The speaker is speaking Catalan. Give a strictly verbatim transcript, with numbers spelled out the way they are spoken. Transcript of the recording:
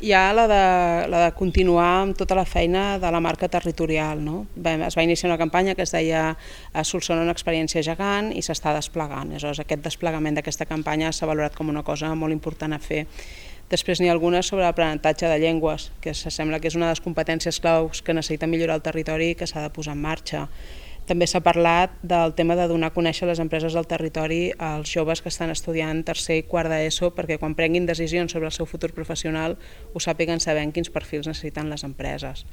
Hi ha la de, la de continuar amb tota la feina de la marca territorial. No? Es va iniciar una campanya que es deia Solsona una experiència gegant i s'està desplegant. Aleshores, aquest desplegament d'aquesta campanya s'ha valorat com una cosa molt important a fer. Després n'hi ha algunes sobre l'aprenentatge de llengües, que sembla que és una de les competències claus que necessita millorar el territori i que s'ha de posar en marxa. També s'ha parlat del tema de donar a conèixer les empreses del territori als joves que estan estudiant tercer i quart d'ESO perquè quan prenguin decisions sobre el seu futur professional ho sàpiguen sabent quins perfils necessiten les empreses.